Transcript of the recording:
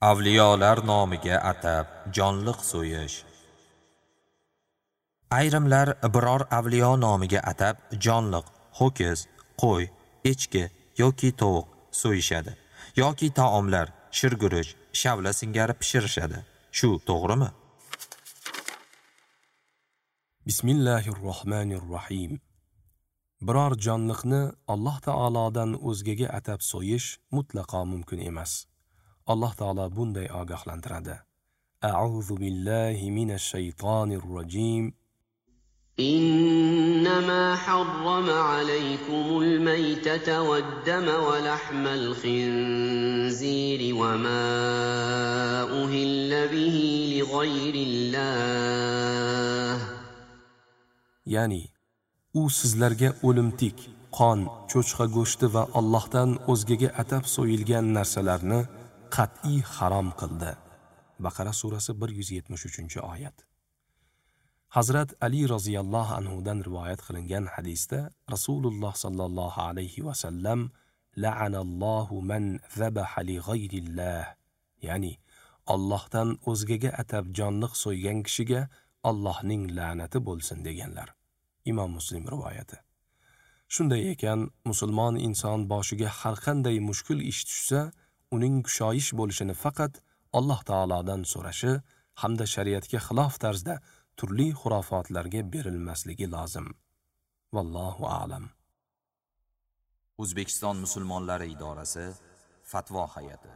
Avliyolar nomiga atab jonliq so'yish. Ayrimlar biror avliyo nomiga atab jonliq, ho'kiz, qo'y, echki yoki tovuq so'yishadi yoki taomlar, shirguruch, shavla singari pishirishadi. Shu to'g'rimi? Bismillahirrohmanirrohim. Biror jonliqni Alloh taolodan o'zgaga atab so'yish mutlaqo mumkin emas. Alloh taolo bunday ogohlantiradi. A'udhu billahi minash shaytonir rojim. إنما حرم عليكم الميتة والدم ولحم الخنزير وما أهل به لغير الله. Ya'ni u sizlarga o'limtik, qon, cho'chqa go'shti va Allohdan o'zgaga atab so'yilgan narsalarni qat'iy harom qildi. Baqara surasi 173-oyat. Hazrat Ali roziyallohu anhu dan rivoyat qilingan hadisda Rasululloh sallallohu alayhi va sallam la'anallohu man zabaha li g'ayrillah, ya'ni Allohdan o'zgaga atab jonliq so'ygan kishiga Allohning la'nati bo'lsin deganlar. Imom Muslim rivoyati. Shunday ekan, musulmon inson boshiga har qanday mushkul ish tushsa, uning kushoyish bo'lishini faqat Alloh taolodan so'rashi hamda shariatga xilof tarzda turli xurofotlarga berilmasligi lozim. Vallohu a'lam. O'zbekiston musulmonlari idorasi Fatvo hay'ati.